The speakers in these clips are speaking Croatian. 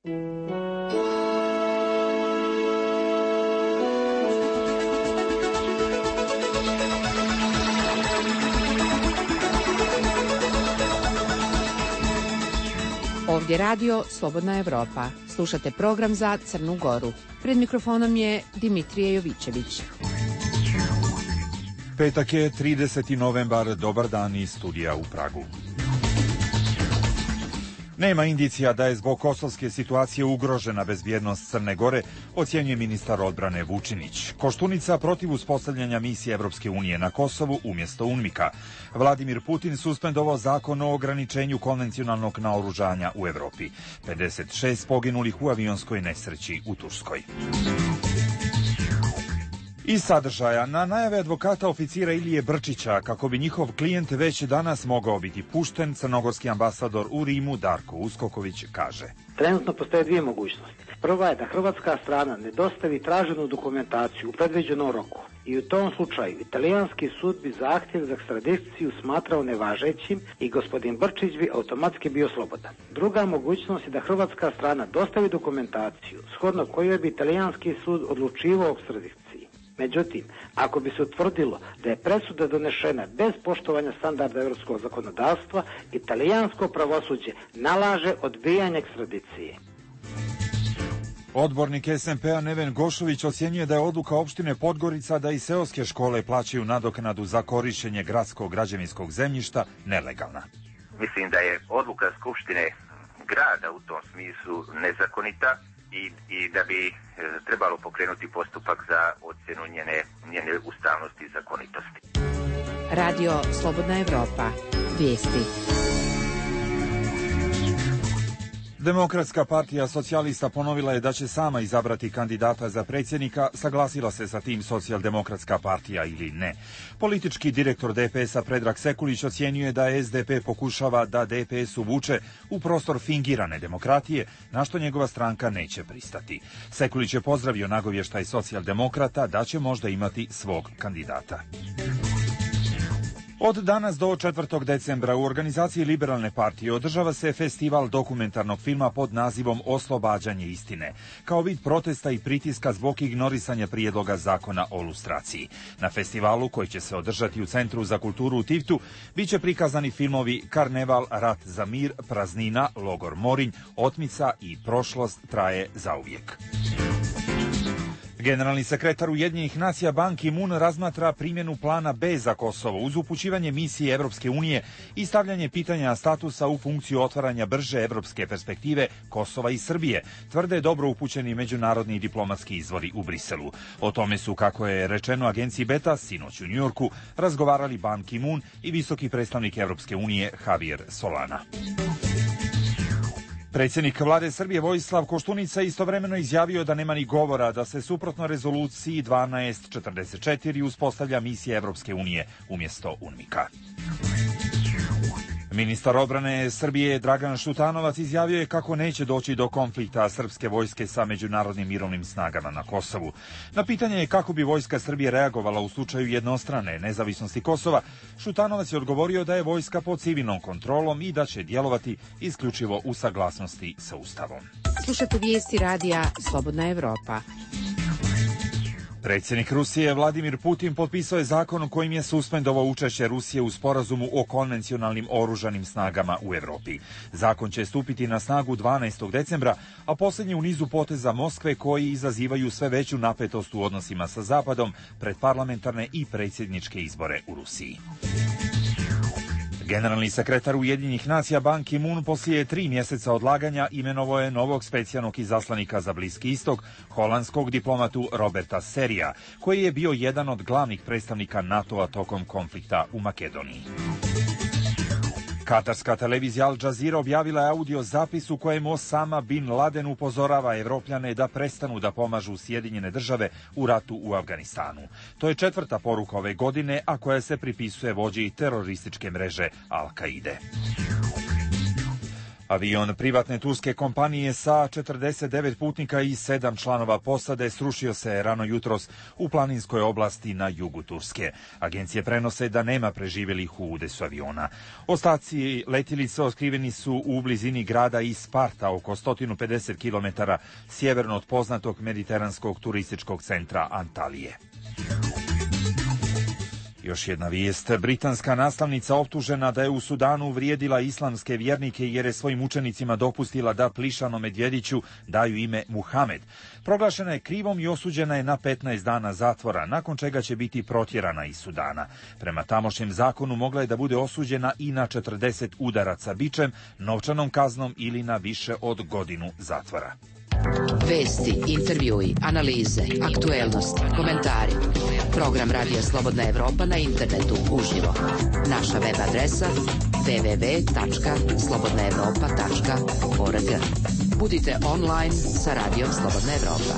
Ovdje radio Slobodna Evropa. Slušate program za Crnu Goru. Pred mikrofonom je Dimitrije Jovićević. Petak je 30. novembar, dobar dan iz studija u Pragu. Nema indicija da je zbog kosovske situacije ugrožena bezbjednost Crne Gore, ocjenjuje ministar odbrane Vučinić. Koštunica protiv uspostavljanja misije Evropske unije na Kosovu umjesto UNMIK-a. Vladimir Putin suspendovao zakon o ograničenju konvencionalnog naoružanja u Evropi. 56 poginulih u avionskoj nesreći u Turskoj. Iz sadržaja, na najave advokata oficira Ilije Brčića, kako bi njihov klijent već danas mogao biti pušten, crnogorski ambasador u Rimu Darko Uskoković kaže. Trenutno postoje dvije mogućnosti. Prva je da hrvatska strana ne dostavi traženu dokumentaciju u predviđenom roku. I u tom slučaju italijanski sud bi zahtjev za ekstradiciju smatrao nevažećim i gospodin Brčić bi automatski bio slobodan. Druga mogućnost je da hrvatska strana dostavi dokumentaciju shodno kojoj bi italijanski sud odlučivao o ekstradiciji. Međutim, ako bi se utvrdilo da je presuda donešena bez poštovanja standarda europskog zakonodavstva, italijansko pravosuđe nalaže odbijanje ekstradicije. Odbornik SMP-a Neven Gošović ocjenjuje da je odluka opštine Podgorica da i seoske škole plaćaju nadoknadu za korištenje gradskog građevinskog zemljišta nelegalna. Mislim da je odluka Skupštine grada u tom smislu nezakonita i da bi trebalo pokrenuti postupak za ocjenu njene ustavnosti i zakonitosti. Radio Slobodna Evropa. Vijesti. Demokratska partija socijalista ponovila je da će sama izabrati kandidata za predsjednika, saglasila se sa tim Socijaldemokratska partija ili ne. Politički direktor DPS-a Predrag Sekulić ocjenjuje da SDP pokušava da DPS uvuče u prostor fingirane demokratije, na što njegova stranka neće pristati. Sekulić je pozdravio nagovještaj Socijaldemokrata da će možda imati svog kandidata. Od danas do 4. decembra u organizaciji Liberalne partije održava se festival dokumentarnog filma pod nazivom Oslobađanje istine, kao vid protesta i pritiska zbog ignorisanja prijedloga zakona o lustraciji. Na festivalu, koji će se održati u Centru za kulturu u Tivtu, bit će prikazani filmovi Karneval, Rat za mir, Praznina, Logor Morinj, Otmica i Prošlost traje zauvijek. Generalni sekretar Ujedinjenih nacija Ban Ki-moon razmatra primjenu plana B za Kosovo uz upućivanje misije Evropske unije i stavljanje pitanja statusa u funkciju otvaranja brže evropske perspektive Kosova i Srbije, tvrde dobro upućeni međunarodni diplomatski izvori u Briselu. O tome su, kako je rečeno agenciji Beta, sinoć u Njujorku razgovarali Ban Ki-moon i visoki predstavnik Evropske unije Javier Solana. Predsjednik vlade Srbije Vojislav Koštunica istovremeno izjavio da nema ni govora da se suprotno rezoluciji 1244 uspostavlja misija Evropske unije umjesto UNMIK-a. Ministar odbrane Srbije Dragan Šutanovac izjavio je kako neće doći do konflikta srpske vojske sa međunarodnim mirovnim snagama na Kosovu. Na pitanje je kako bi vojska Srbije reagovala u slučaju jednostrane nezavisnosti Kosova, Šutanovac je odgovorio da je vojska pod civilnom kontrolom i da će djelovati isključivo u saglasnosti sa Ustavom. Slušate vijesti radija Slobodna Evropa. Predsjednik Rusije Vladimir Putin potpisao je zakon kojim je suspendovao učešće Rusije u sporazumu o konvencionalnim oružanim snagama u Evropi. Zakon će stupiti na snagu 12. decembra, a posljednji u nizu poteza Moskve koji izazivaju sve veću napetost u odnosima sa Zapadom pred parlamentarne i predsjedničke izbore u Rusiji. Generalni sekretar Ujedinjenih nacija Ban Ki-moon poslije 3 mjeseca odlaganja imenovao je novog specijalnog izaslanika za Bliski istok, holandskog diplomatu Roberta Serija, koji je bio jedan od glavnih predstavnika NATO-a tokom konflikta u Makedoniji. Katarska televizija Al Jazeera objavila je audio zapis u kojem Osama bin Laden upozorava Evropljane da prestanu da pomažu Sjedinjene države u ratu u Afganistanu. To je 4. poruka ove godine, a koja se pripisuje vođi terorističke mreže Al-Kaide. Avion privatne turske kompanije sa 49 putnika i 7 članova posade srušio se rano jutros u planinskoj oblasti na jugu Turske. Agencije prenose da nema preživjelih u udesu aviona. Ostaci letjelice otkriveni su u blizini grada Isparta, oko 150 km sjeverno od poznatog mediteranskog turističkog centra Antalije. Još jedna vijest. Britanska nastavnica optužena da je u Sudanu uvrijedila islamske vjernike jer je svojim učenicima dopustila da plišanom medvjediću daju ime Muhamed. Proglašena je krivom i osuđena je na 15 dana zatvora, nakon čega će biti protjerana iz Sudana. Prema tamošnjem zakonu mogla je da bude osuđena i na 40 udaraca bičem, novčanom kaznom ili na više od godinu zatvora. Vesti, intervjui, analize, aktuelnosti, komentari. Program Radija Slobodna Evropa na internetu uživo. Naša web adresa www.slobodnaevropa.org. Budite online sa Radijom Slobodna Evropa.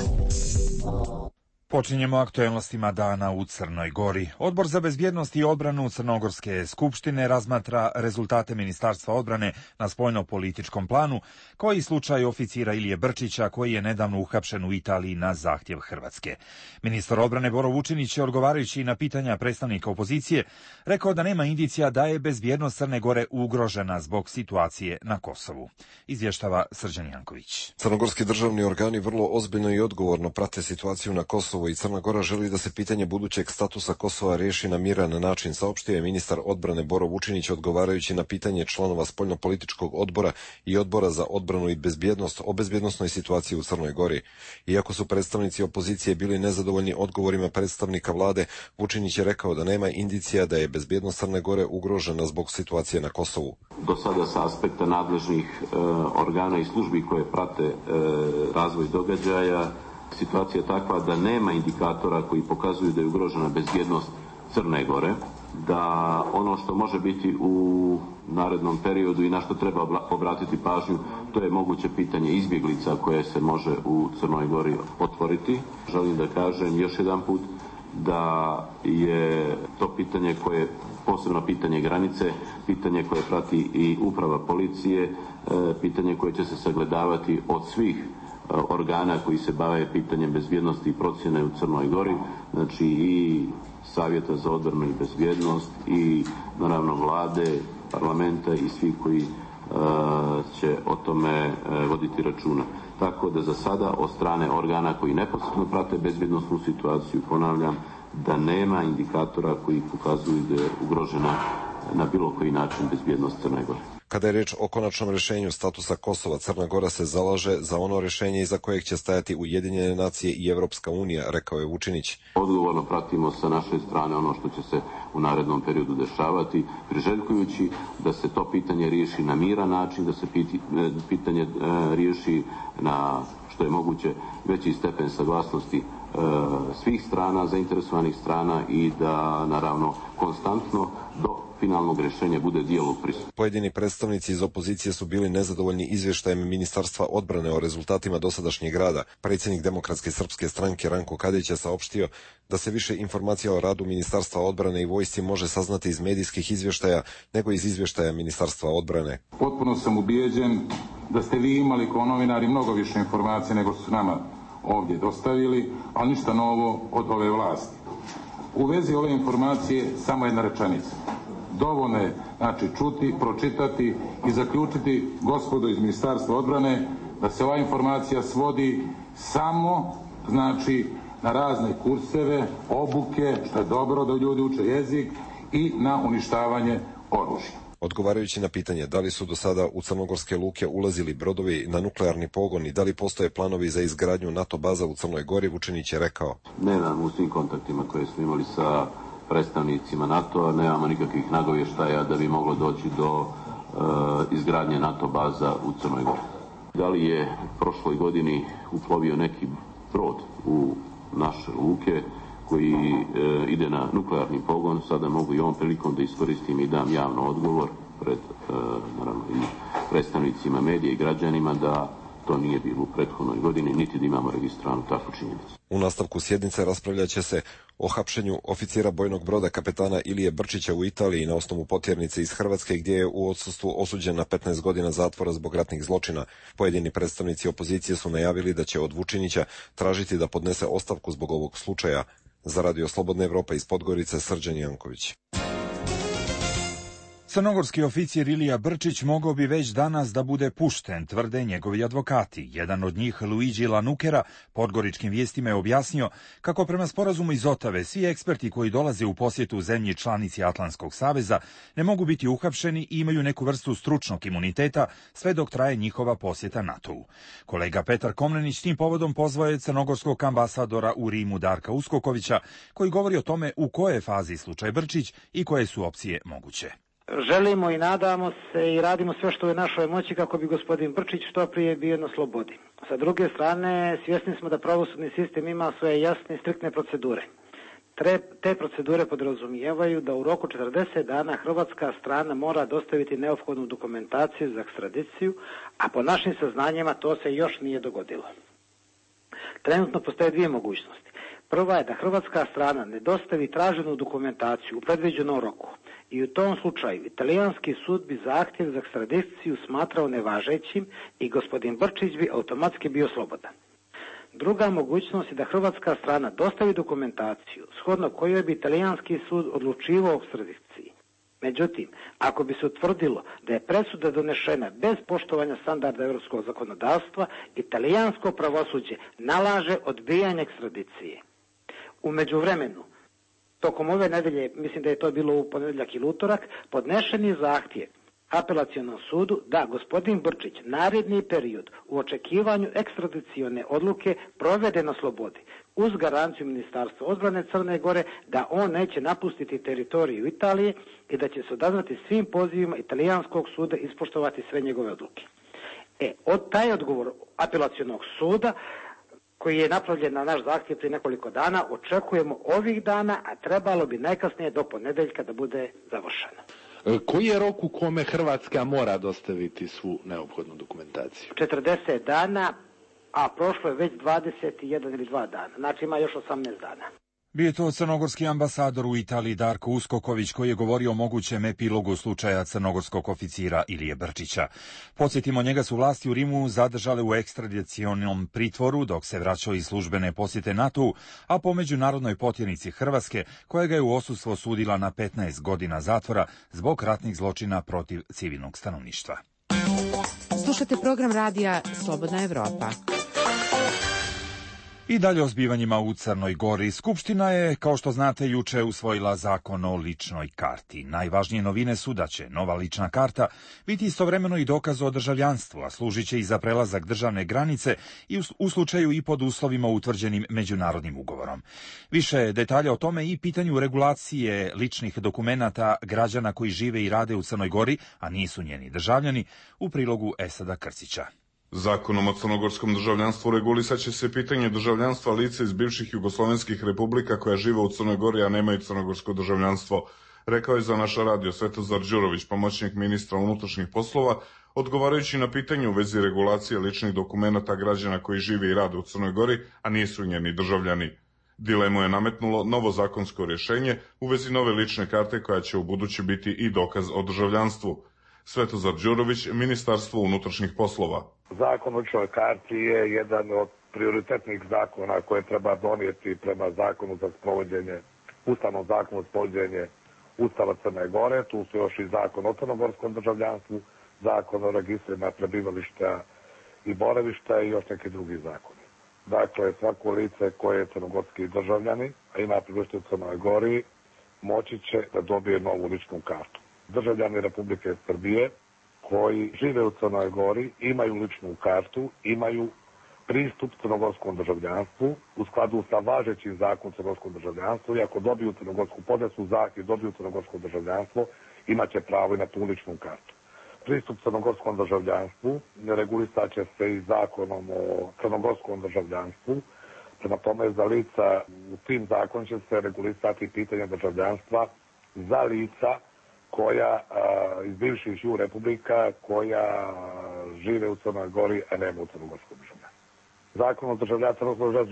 Počinjemo aktuelnostima dana u Crnoj Gori. Odbor za bezbjednost i odbranu Crnogorske skupštine razmatra rezultate Ministarstva odbrane na spoljno-političkom planu, koji slučaj oficira Ilije Brčića, koji je nedavno uhapšen u Italiji na zahtjev Hrvatske. Ministar odbrane Boro Vučinić je, odgovarajući na pitanja predstavnika opozicije, rekao da nema indicija da je bezbjednost Crne Gore ugrožena zbog situacije na Kosovu. Izvještava Srđan Janković. Crnogorski državni organi vrlo ozbiljno i odgovorno prate situaciju na Kosovu i Crna Gora želi da se pitanje budućeg statusa Kosova riješi na miran način, saopštio je ministar odbrane Boro Vučinić odgovarajući na pitanje članova spoljnopolitičkog odbora i odbora za odbranu i bezbjednost o bezbjednosnoj situaciji u Crnoj Gori. Iako su predstavnici opozicije bili nezadovoljni odgovorima predstavnika vlade, Vučinić je rekao da nema indicija da je bezbjednost Crne Gore ugrožena zbog situacije na Kosovu. Do sada sa aspekta nadležnih organa i službi koje prate razvoj događaja, situacija je takva da nema indikatora koji pokazuju da je ugrožena bezbjednost Crne Gore, da ono što može biti u narednom periodu i na što treba obratiti pažnju, to je moguće pitanje izbjeglica koje se može u Crnoj Gori otvoriti. Želim da kažem još jedan put da je to pitanje koje, posebno pitanje granice, pitanje koje prati i uprava policije, pitanje koje će se sagledavati od svih organa koji se bave pitanjem bezbjednosti i procjene u Crnoj Gori, znači i Savjeta za odbranu i bezbjednost i naravno vlade, parlamenta i svi koji će o tome voditi računa. Tako da za sada od strane organa koji neposredno prate bezbjednosnu situaciju, ponavljam, da nema indikatora koji pokazuju da je ugrožena na bilo koji način bezbjednost Crne Gore. Kada je riječ o konačnom rješenju statusa Kosova, Crna Gora se zalaže za ono rješenje iza kojeg će stajati Ujedinjene nacije i Evropska unija, rekao je Vučinić. Odgovorno pratimo sa naše strane ono što će se u narednom periodu dešavati, priželjkujući da se to pitanje riješi na miran način, da se pitanje riješi na što je moguće veći stepen saglasnosti svih strana, zainteresovanih strana i da naravno konstantno do finalnog rješenja bude dijalog prisutan. Pojedini predstavnici iz opozicije su bili nezadovoljni izvještajem Ministarstva odbrane o rezultatima dosadašnjeg rada. Predsjednik Demokratske srpske stranke Ranko Kadić je saopštio da se više informacija o radu Ministarstva odbrane i vojsci može saznati iz medijskih izvještaja nego iz izvještaja Ministarstva odbrane. Potpuno sam ubijeđen da ste vi imali kao novinari mnogo više informacija nego su nama ovdje dostavili, ali ništa novo od ove vlasti. U vezi ove informacije samo jedna rečenica. Dovoljno je, znači, čuti, pročitati i zaključiti, gospodo iz Ministarstva odbrane, da se ova informacija svodi samo, znači, na razne kurseve, obuke, što je dobro da ljudi uče jezik, i na uništavanje oružja. Odgovarajući na pitanje da li su do sada u crnogorske luke ulazili brodovi na nuklearni pogon i da li postoje planovi za izgradnju NATO baza u Crnoj Gori, Vučinić je rekao: nemam u svim kontaktima koje smo imali sa predstavnicima NATO-a, nemamo nikakvih nagovještaja da bi moglo doći do izgradnje NATO baza u Crnoj Gori. Da li je prošloj godini uplovio neki brod u naše luke koji ide na nuklearni pogon, sada mogu i ovom prilikom da iskoristim i dam javno odgovor pred naravno i predstavnicima medija i građanima da To nije bilo u prethodnoj godini, niti da imamo registriranu takvu činjenicu. U nastavku sjednice raspravljat će se o hapšenju oficira bojnog broda kapetana Ilije Brčića u Italiji na osnovu potjernice iz Hrvatske, gdje je u odsustvu osuđen na 15 godina zatvora zbog ratnih zločina. Pojedini predstavnici opozicije su najavili da će od Vučinića tražiti da podnese ostavku zbog ovog slučaja. Za Radio Slobodna Evropa iz Podgorice, Srđan Janković. Crnogorski oficir Ilija Brčić mogao bi već danas da bude pušten, tvrde njegovi advokati. Jedan od njih, Luigi Lanukera, Podgoričkim vijestima je objasnio kako prema sporazumu iz Otave svi eksperti koji dolaze u posjetu zemlji članici Atlantskog saveza ne mogu biti uhapšeni i imaju neku vrstu stručnog imuniteta sve dok traje njihova posjeta NATO-u. Kolega Petar Komnenić tim povodom pozvao je crnogorskog ambasadora u Rimu Darka Uskokovića, koji govori o tome u kojoj je fazi slučaj Brčić i koje su opcije moguće. Želimo i nadamo se i radimo sve što je u našoj moći kako bi gospodin Brčić što prije bio na slobodi. Sa druge strane, svjesni smo da pravosudni sistem ima svoje jasne i striktne procedure. Te procedure podrazumijevaju da u roku 40 dana hrvatska strana mora dostaviti neophodnu dokumentaciju za ekstradiciju, a po našim saznanjima to se još nije dogodilo. Trenutno postoje dvije mogućnosti. Prva je da hrvatska strana ne dostavi traženu dokumentaciju u predviđenom roku i u tom slučaju italijanski sud bi zahtjev za ekstradiciju smatrao nevažećim i gospodin Brčić bi automatski bio slobodan. Druga mogućnost je da hrvatska strana dostavi dokumentaciju shodno kojoj bi italijanski sud odlučivao o ekstradiciji. Međutim, ako bi se utvrdilo da je presuda donešena bez poštovanja standarda europskog zakonodavstva, italijansko pravosuđe nalaže odbijanje ekstradicije. U međuvremenu, tokom ove nedelje, mislim da je to bilo u ponedjeljak ili utorak, podnešen je zahtjev apelacionom sudu da gospodin Brčić naredni period u očekivanju ekstradicione odluke provede na slobodi, uz garanciju Ministarstva odbrane Crne Gore da on neće napustiti teritoriju Italije i da će se odazvati svim pozivima italijanskog suda i ispoštovati sve njegove odluke. Od taj odgovor apelacionog suda, koji je napravljen na naš zahtjev prije nekoliko dana, očekujemo ovih dana, a trebalo bi najkasnije do ponedjeljka da bude završeno. Koji je rok u kome Hrvatska mora dostaviti svu neophodnu dokumentaciju? 40 dana, a prošlo je već 21 ili 2 dana. Znači ima još 18 dana. Bio je to crnogorski ambasador u Italiji Darko Uskoković, koji je govorio o mogućem epilogu slučaja crnogorskog oficira Ilije Brčića. Podsjetimo, njega su vlasti u Rimu zadržale u ekstradicionom pritvoru dok se vraćao iz službene posjete NATO-u, a po međunarodnoj potjernici Hrvatske, koja ga je u odsustvu osudila na 15 godina zatvora zbog ratnih zločina protiv civilnog stanovništva. Slušate program radija Slobodna Evropa. I dalje o zbivanjima u Crnoj Gori. Skupština je, kao što znate, juče usvojila zakon o ličnoj karti. Najvažnije novine su da će nova lična karta biti istovremeno i dokaz o državljanstvu, a služit će i za prelazak državne granice i u slučaju i pod uslovima utvrđenim međunarodnim ugovorom. Više detalja o tome i pitanju regulacije ličnih dokumenata građana koji žive i rade u Crnoj Gori, a nisu njeni državljani, u prilogu Esada Krcića. Zakonom o crnogorskom državljanstvu regulisat će se pitanje državljanstva lica iz bivših jugoslovenskih republika koja žive u Crnoj Gori, a nemaju crnogorsko državljanstvo, rekao je za naš radio Svetozar Đurović, pomoćnik ministra unutrašnjih poslova, odgovarajući na pitanje u vezi regulacije ličnih dokumenata građana koji žive i rade u Crnoj Gori, a nisu njeni državljani. Dilemu je nametnulo novo zakonsko rješenje u vezi nove lične karte koja će u buduće biti i dokaz o državljanstvu. Svetozar Đurović, Ministarstvo unutrašnjih poslova. Zakon o ličnoj karti je jedan od prioritetnih zakona koje treba donijeti prema zakonu za sprovođenje, ustavnom zakonu za sprovođenje Ustava Crne Gore. Tu su još i zakon o crnogorskom državljanstvu, zakon o registrima prebivališta i boravišta i još neki drugi zakoni. Dakle, svako lice koje je crnogorski državljani, a ima prebivalište u Crnoj Gori, moći će da dobije novu ličnu kartu. Državljani Republike Srbije koji žive u Crnoj Gori imaju ličnu kartu, imaju pristup crnogorskom državljanstvu u skladu sa važećim zakonom o crnogorskom državljanstvu i ako dobiju crnogorsku podnesu zahtjev, dobiju crnogorsko državljanstvo, imaće pravo i na tu ličnu kartu. Pristup crnogorskom državljanstvu regulisat će se i zakonom o crnogorskom državljanstvu. Prema tome, za lica u tim zakonom će se regulisati pitanje državljanstva za lica koja iz bivših republika koja žive u Crnoj Gori, a nema u crnogorskom državljanstvu. Zakon o državljanstvu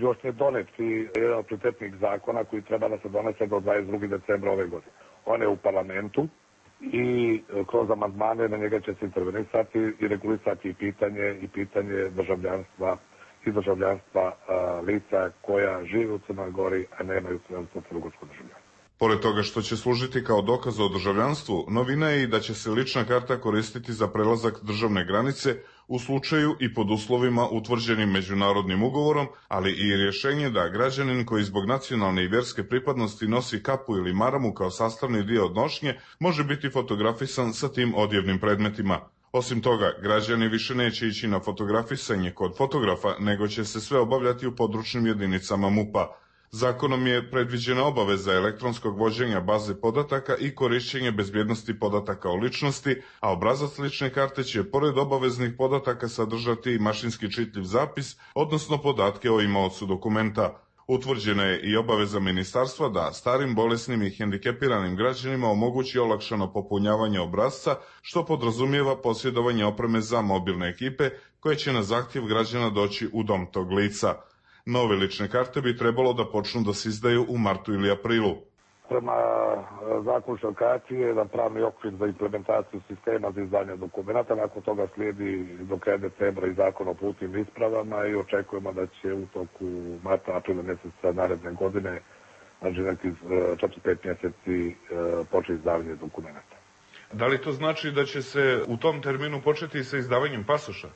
još nije donet i jedan od prioritetnih zakona koji treba da se donese do 22. decembra ove godine. On je u parlamentu i kroz amandmane na njega će se intervenisati i regulisati pitanje državljanstva i državljanstva lica koja žive u Crnoj Gori, a nemaju crnogorsko državljanstvo. Pored toga što će služiti kao dokaz o državljanstvu, novina je i da će se lična karta koristiti za prelazak državne granice u slučaju i pod uslovima utvrđenim međunarodnim ugovorom, ali i rješenje da građanin koji zbog nacionalne i vjerske pripadnosti nosi kapu ili maramu kao sastavni dio nošnje može biti fotografisan sa tim odjevnim predmetima. Osim toga, građani više neće ići na fotografisanje kod fotografa, nego će se sve obavljati u područnim jedinicama MUP-a. Zakonom je predviđena obaveza elektronskog vođenja baze podataka i korišćenje bezbjednosti podataka o ličnosti, a obrazac lične karte će pored obaveznih podataka sadržati i mašinski čitljiv zapis, odnosno podatke o imaocu dokumenta. Utvrđena je i obaveza ministarstva da starim, bolesnim i hendikepiranim građanima omogući olakšano popunjavanje obrasca, što podrazumijeva posjedovanje opreme za mobilne ekipe koje će na zahtjev građana doći u dom tog lica. Nove lične karte bi trebalo da počnu da se izdaju u martu ili aprilu. Prema zakonu šalkacije je jedan pravni okvir za implementaciju sistema za izdanje dokumenta. Nakon toga slijedi do kraja decembra i zakon o putnim ispravama i očekujemo da će u toku marta, aprila mjeseca naredne godine, znači nekih 4-5 mjeseci početi izdavanje dokumenta. Da li to znači da će se u tom terminu početi sa izdavanjem pasoša?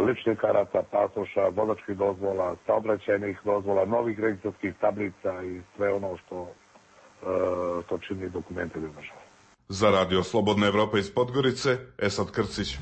Ličnih karata, pasoša, vozačkih dozvola, saobraćajnih dozvola, novih registarskih tablica i sve ono što čini dokumente za državu. Za Radio Slobodna Evropa iz Podgorice, Esad Krcić.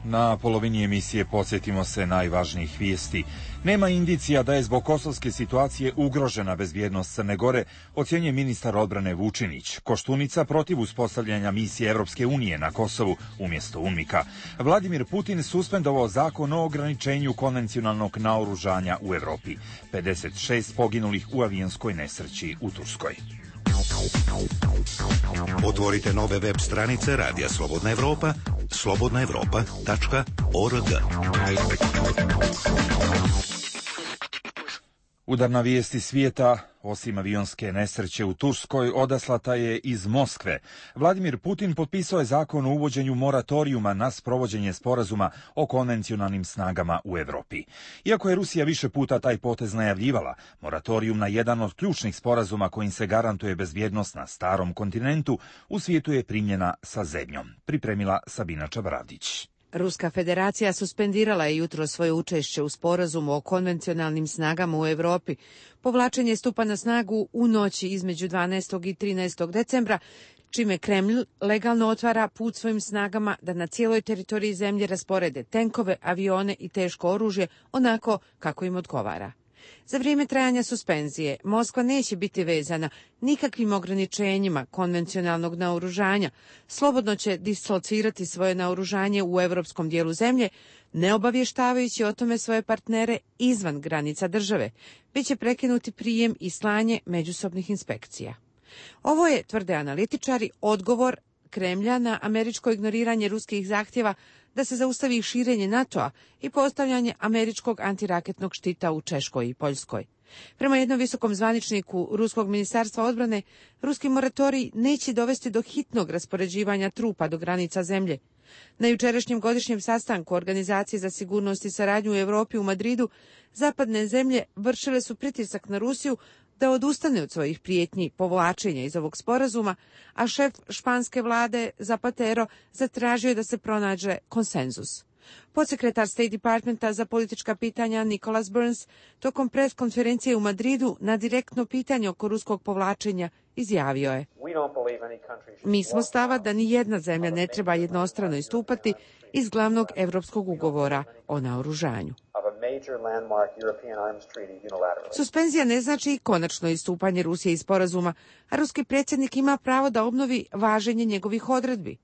Na polovini emisije podsjetimo se najvažnijih vijesti. Nema indicija da je zbog kosovske situacije ugrožena bezbjednost Crne Gore, ocjenjuje ministar odbrane Vučinić. Koštunica protiv uspostavljanja misije Evropske unije na Kosovu umjesto UNMIK-a. Vladimir Putin suspendovao zakon o ograničenju konvencionalnog naoružanja u Evropi. 56 poginulih u avionskoj nesreći u Turskoj. Otvorite nove web stranice Radija Slobodna Evropa, slobodnaevropa.org. Udarna vijesti svijeta, osim avionske nesreće u Turskoj, odaslata je iz Moskve. Vladimir Putin potpisao je zakon o uvođenju moratorijuma na sprovođenje sporazuma o konvencionalnim snagama u Evropi. Iako je Rusija više puta taj potez najavljivala, moratorijum na jedan od ključnih sporazuma kojim se garantuje bezbjednost na starom kontinentu u svijetu je primljena sa zebnjom. Pripremila Sabina Čabradić. Ruska federacija suspendirala je jutro svoje učešće u sporazumu o konvencionalnim snagama u Evropi. Povlačenje stupa na snagu u noći između 12. i 13. decembra, čime Kremlj legalno otvara put svojim snagama da na cijeloj teritoriji zemlje rasporede tenkove, avione i teško oružje onako kako im odgovara. Za vrijeme trajanja suspenzije Moskva neće biti vezana nikakvim ograničenjima konvencionalnog naoružanja, slobodno će dislocirati svoje naoružanje u europskom dijelu zemlje, ne obavještavajući o tome svoje partnere izvan granica države, već će prekinuti prijem i slanje međusobnih inspekcija. Ovo je, tvrde analitičari, odgovor Kremlja na američko ignoriranje ruskih zahtjeva da se zaustavi širenje NATO-a i postavljanje američkog antiraketnog štita u Češkoj i Poljskoj. Prema jednom visokom zvaničniku Ruskog ministarstva odbrane, ruski moratorij neće dovesti do hitnog raspoređivanja trupa do granica zemlje. Na jučerašnjem godišnjem sastanku Organizacije za sigurnost i saradnju u Europi u Madridu, zapadne zemlje vršile su pritisak na Rusiju da odustane od svojih prijetnji povlačenja iz ovog sporazuma, a šef španske vlade Zapatero zatražio da se pronađe konsenzus. Podsekretar State Departmenta za politička pitanja Nicholas Burns tokom pres konferencije u Madridu na direktno pitanje oko ruskog povlačenja izjavio je: Mi smo stava da ni jedna zemlja ne treba jednostrano istupati iz glavnog evropskog ugovora o naoružanju. Suspenzija ne znači konačno istupanje Rusije iz sporazuma, a ruski predsjednik ima pravo da obnovi važenje njegovih odredbi.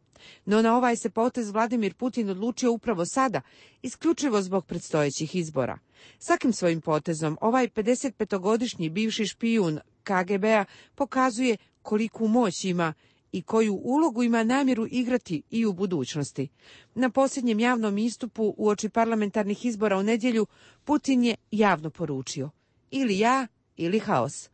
No na ovaj se potez Vladimir Putin odlučio upravo sada, isključivo zbog predstojećih izbora. Svakim svojim potezom ovaj 55-godišnji bivši špijun KGB-a pokazuje koliku moć ima i koju ulogu ima namjeru igrati i u budućnosti. Na posljednjem javnom istupu uoči parlamentarnih izbora u nedjelju Putin je javno poručio: ili ja, ili haos.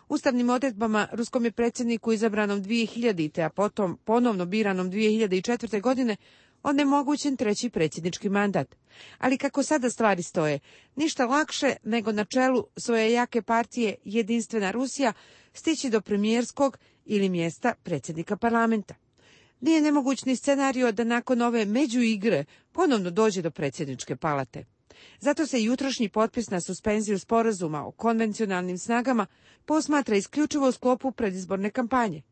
Ustavnim odredbama ruskom je predsjedniku izabranom 2000. a potom ponovno biranom 2004. godine onemogućen treći predsjednički mandat. Ali kako sada stvari stoje, ništa lakše nego na čelu svoje jake partije Jedinstvena Rusija stići do premijerskog ili mjesta predsjednika parlamenta. Nije nemoguć ni scenario da nakon ove međuigre ponovno dođe do predsjedničke palate. Zato se jutrošnji potpis na suspenziju sporazuma o konvencionalnim snagama posmatra isključivo u sklopu predizborne kampanje.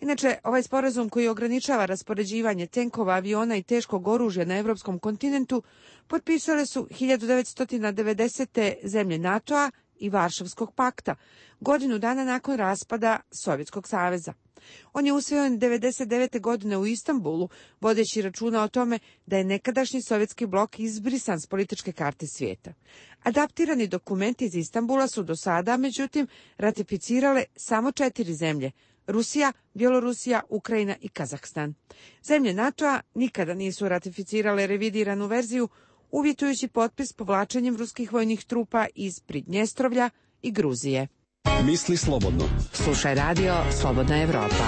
Inače, ovaj sporazum koji ograničava raspoređivanje tenkova, aviona i teškog oružja na europskom kontinentu potpisale su 1990. zemlje NATO-a i Varšavskog pakta, godinu dana nakon raspada Sovjetskog saveza. On je usvojen 1999. godine u Istanbulu, vodeći računa o tome da je nekadašnji sovjetski blok izbrisan s političke karte svijeta. Adaptirani dokumenti iz Istanbula su do sada, međutim, ratificirale samo 4 zemlje: Rusija, Bjelorusija, Ukrajina i Kazahstan. Zemlje NATO-a nikada nisu ratificirale revidiranu verziju, uvjetujući potpis povlačenjem ruskih vojnih trupa iz Pridnjestrovlja i Gruzije. Misli slobodno. Slušaj radio Slobodna Evropa.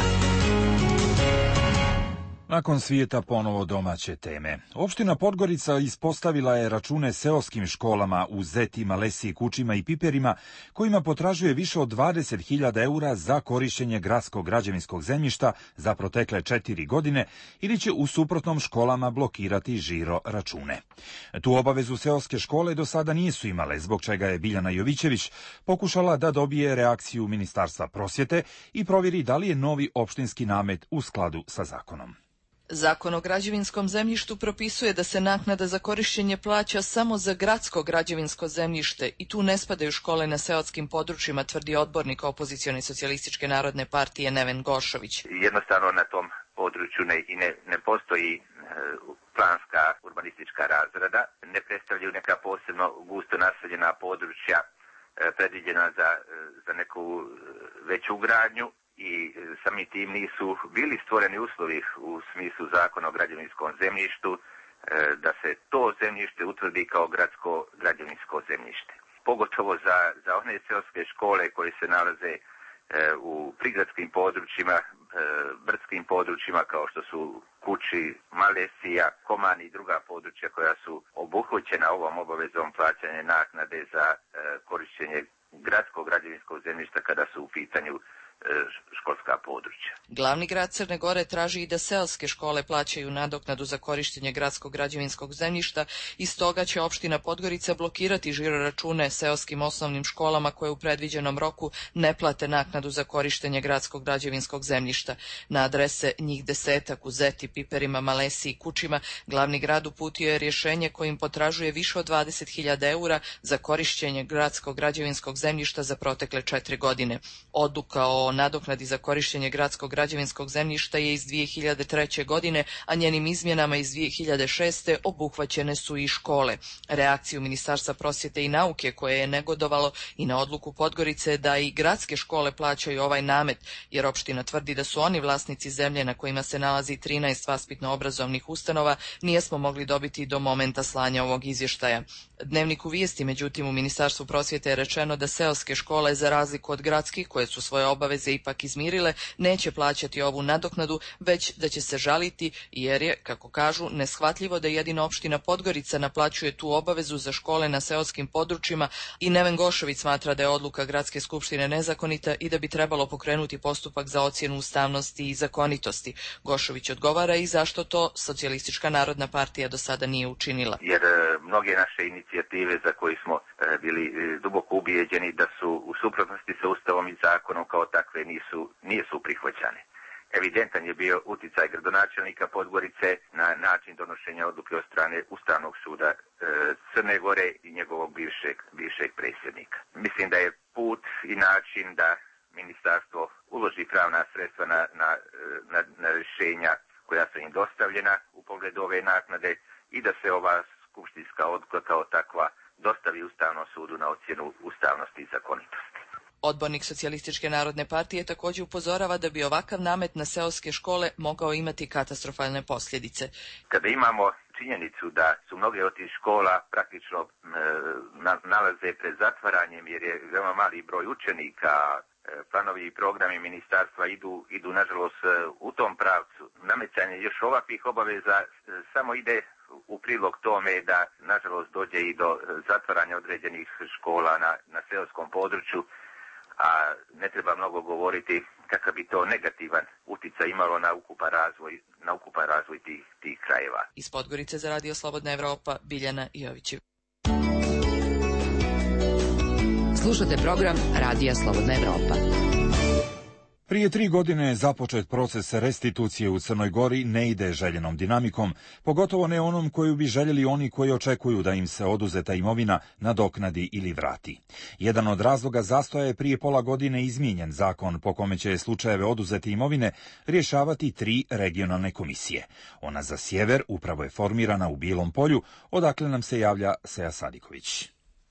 Nakon svijeta ponovo domaće teme. Opština Podgorica ispostavila je račune seoskim školama u Zeti, Malesiji, Kučima i Piperima, kojima potražuje više od 20.000 eura za korišćenje gradskog građevinskog zemljišta za protekle 4 godine ili će u suprotnom školama blokirati žiro račune. Tu obavezu seoske škole do sada nisu imale, zbog čega je Biljana Jovićević pokušala da dobije reakciju Ministarstva prosvjete i provjeri da li je novi opštinski namet u skladu sa zakonom. Zakon o građevinskom zemljištu propisuje da se naknada za korišćenje plaća samo za gradsko građevinsko zemljište i tu ne spadaju škole na seoskim područjima, tvrdi odbornik opozicione socijalističke narodne partije Neven Gošović. Jednostavno na tom području ne postoji planska urbanistička razrada, ne predstavljaju neka posebno gusto naseljena područja predviđena za neku veću gradnju. I samim tim nisu bili stvoreni uslovi u smislu zakona o građevinskom zemljištu da se to zemljište utvrdi kao gradsko građevinsko zemljište. Pogotovo za one seoske škole koje se nalaze u prigradskim područjima, brdskim područjima kao što su Kuči, Malesija, Komani i druga područja koja su obuhvaćena ovom obavezom plaćanja naknade za korišćenje gradskog građevinskog zemljišta kada su u pitanju školska područja. Glavni grad Crne Gore traži i da seoske škole plaćaju nadoknadu za korištenje gradskog građevinskog zemljišta i stoga će opština Podgorica blokirati žiroračune seoskim osnovnim školama koje u predviđenom roku ne plate naknadu za korištenje gradskog građevinskog zemljišta. Na adrese njih 10 u Zeti, Piperima, Malesiji i Kučima glavni grad uputio je rješenje kojim potražuje više od 20.000 eura za korišćenje gradskog građevinskog zemljišta za protekle 4 godine. Odluka o nadoknadi za korištenje gradskog građevinskog zemljišta je iz 2003. godine, a njenim izmjenama iz 2006. obuhvaćene su i škole. Reakciju Ministarstva prosvjete i nauke koje je negodovalo i na odluku Podgorice da i gradske škole plaćaju ovaj namet, jer opština tvrdi da su oni vlasnici zemlje na kojima se nalazi 13 vaspitno-obrazovnih ustanova, nijesmo mogli dobiti do momenta slanja ovog izvještaja. Dnevniku vijesti, međutim, u Ministarstvu prosvjete je rečeno da seoske škole, za razliku od gradskih koje su svoje obaveze ipak izmirile, neće plaćati ovu nadoknadu, već da će se žaliti jer je, kako kažu, neshvatljivo da jedina opština Podgorica naplaćuje tu obavezu za škole na seoskim područjima i Neven Gošović smatra da je odluka Gradske skupštine nezakonita i da bi trebalo pokrenuti postupak za ocjenu ustavnosti i zakonitosti. Gošović odgovara i zašto to Socijalistička narodna partija do sada nije učinila. Jer mnoge naše inicijative za koje smo bili duboko ubijeđeni da su u suprotnosti sa Ustavom i zakonom kao takve nisu prihvaćane. Evidentan je bio uticaj gradonačelnika Podgorice na način donošenja odluke od strane Ustavnog suda Crne Gore i njegovog bivšeg predsjednika. Mislim da je put i način da ministarstvo uloži pravna sredstva na rješenja koja su im dostavljena u pogledu ove naknade i da se ova skupštinska odluka kao takva dostavi Ustavnom sudu na ocjenu ustavnosti i zakonitosti. Odbornik Socijalističke narodne partije također upozorava da bi ovakav namet na seoske škole mogao imati katastrofalne posljedice. Kada imamo činjenicu da su mnoge od tih škola praktično nalaze pred zatvaranjem jer je veoma mali broj učenika, planovi i programi ministarstva idu nažalost u tom pravcu. Nametanje još ovakvih obaveza samo ide u prilog tome da nažalost dođe i do zatvaranja određenih škola na seoskom području, a ne treba mnogo govoriti kakav bi to negativan uticaj imalo na ukupan razvoj tih krajeva. Iz Podgorice za Radio Slobodna Evropa, Biljana Jovićev. Slušate program Radija Slobodna Evropa. Prije 3 godine je započet proces restitucije u Crnoj Gori, ne ide željenom dinamikom, pogotovo ne onom koju bi željeli oni koji očekuju da im se oduzeta imovina nadoknadi ili vrati. Jedan od razloga zastoja je prije pola godine izmijenjen zakon po kome će slučajeve oduzete imovine rješavati 3 regionalne komisije. Ona za sjever upravo je formirana u Bijelom Polju, odakle nam se javlja Seja Sadiković.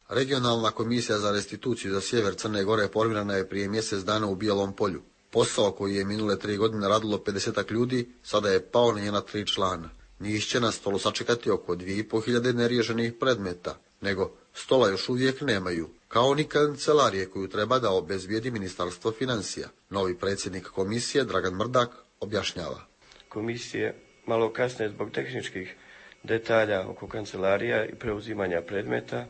Regionalna komisija za restituciju za sjever Crne Gore formirana je prije mjesec dana u Bijelom Polju. Posao koji je minule 3 godine radilo 50 ljudi, sada je pao na njena 3 člana. Njih će na stolu sačekati oko 2500 neriješenih predmeta, nego stola još uvijek nemaju, kao ni kancelarije koju treba da obezbijedi Ministarstvo financija. Novi predsjednik komisije, Dragan Mrdak, objašnjava. Komisije malo kasne zbog tehničkih detalja oko kancelarija i preuzimanja predmeta.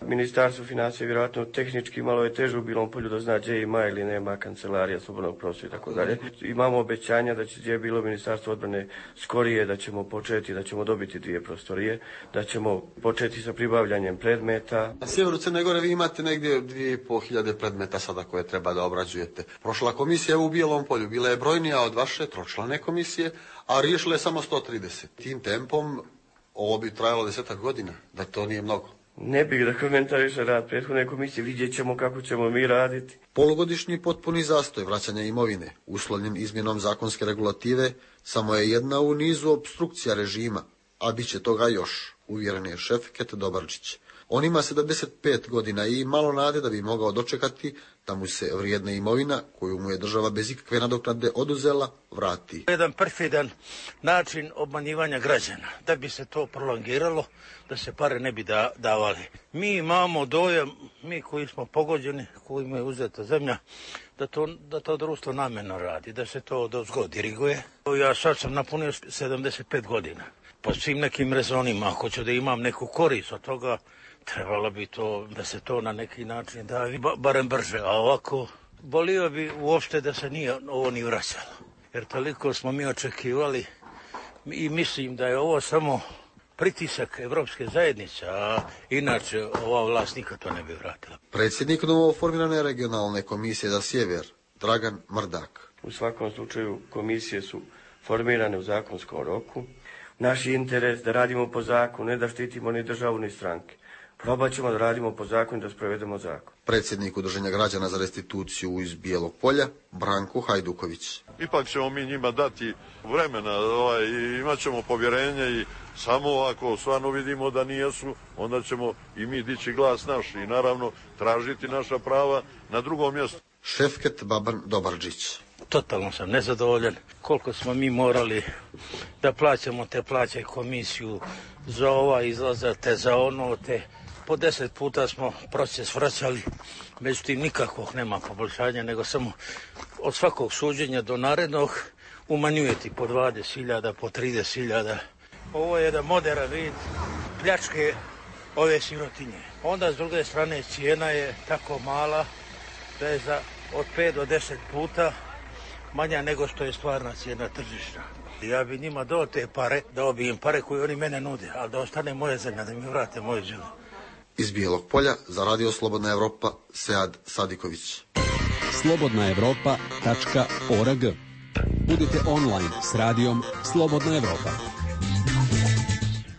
Ministarstvo financija vjerojatno tehnički malo je teže u Bijelom Polju da zna gdje ima ili nema kancelarija slobodnog prostora i tako dalje. Imamo obećanja da će gdje je bilo Ministarstvo odbrane skorije da ćemo početi, da ćemo dobiti 2 prostorije, da ćemo početi sa pribavljanjem predmeta. Na sjeveru Crne Gore vi imate negdje 2500 predmeta sada koje treba da obrađujete. Prošla komisija u Bijelom Polju bila je brojnija od vaše 3člane komisije, a riješila je samo 130. Tim tempom ovo bi trajalo 10 godina, da to nije mnogo. Ne bih da komentariše rad prethodne komisije, vidjet ćemo kako ćemo mi raditi. Polugodišnji potpuni zastoj vraćanja imovine, uslovljen izmjenom zakonske regulative, samo je jedna u nizu opstrukcija režima, a bit će toga još, uvjeren je Šefket Dobarčić. On ima 75 godina i malo nade da bi mogao dočekati da mu se vrijedna imovina, koju mu je država bez ikakve nadoknade oduzela, vrati. Jedan perfidan način obmanjivanja građana, da bi se to prolongiralo, da se pare ne bi davali. Mi imamo dojam, mi koji smo pogođeni, kojima je uzeta zemlja, da to društvo namjerno radi, da se to dozgo diriguje. Ja sad sam napunio 75 godina. Po svim nekim rezonima, ako ću da imam neku korist od toga, trebalo bi to, da se to na neki način da barem brže, a ovako bolio bi uopšte da se nije ovo ni vraćalo. Jer toliko smo mi očekivali i mislim da je ovo samo pritisak Evropske zajednice, a inače ova vlast nikad to ne bi vratila. Predsjednik novoformirane regionalne komisije za sjever, Dragan Mrdak. U svakom slučaju komisije su formirane u zakonskom roku. Naš je interes da radimo po zakonu, ne da štitimo ni državu ni stranke. Probat ćemo da radimo po zakonu i da sprovedemo zakon. Predsjednik Udruženja građana za restituciju iz Bijelog Polja, Branko Hajduković. Ipak ćemo mi njima dati vremena i imat ćemo povjerenje i samo ako stvarno vidimo da nijesu, onda ćemo i mi dići glas naš i naravno tražiti naša prava na drugom mjestu. Šefket Baban Dobarđić. Totalno sam nezadovoljan koliko smo mi morali da plaćamo te plaće komisiju za ova izlaza, te za ono, te po 10 puta smo proces vraćali, međutim nikakvog nema poboljšanja, nego samo od svakog suđenja do narednog umanjujete po 20.000, po 30.000. Ovo je jedan moderan vid pljačke ove sirotinje. Onda s druge strane cijena je tako mala da je od 5 do 10 puta manja nego što je stvarna cijena tržišna. Ja bi njima dao te pare, dao bi im pare koje oni mene nude, ali da ostane moja zemlja, da mi vrate moje zemlje. Iz Bijelog Polja za Radio Slobodna Evropa, Sead Sadiković. slobodnaevropa.org. Budite online s radijom Slobodna Evropa.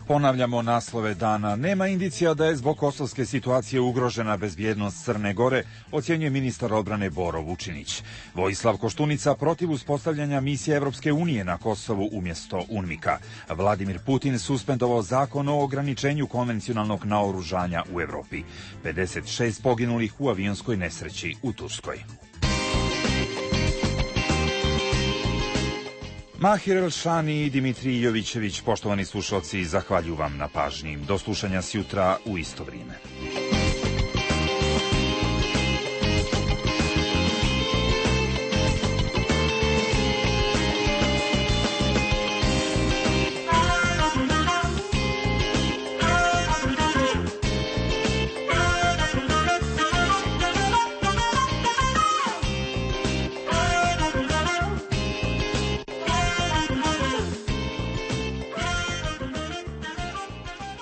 Ponavljamo naslove dana. Nema indicija da je zbog kosovske situacije ugrožena bezbjednost Crne Gore, ocjenjuje ministar odbrane Boro Vučinić. Vojislav Koštunica protiv uspostavljanja misije Evropske unije na Kosovu umjesto UNMIK-a. Vladimir Putin suspendovao zakon o ograničenju konvencionalnog naoružanja u Evropi. 56 poginulih u avionskoj nesreći u Turskoj. Mahir Elšani i Dimitrij Jovićević, poštovani slušalci, zahvaljujem vam na pažnji. Do slušanja sjutra u isto vrijeme.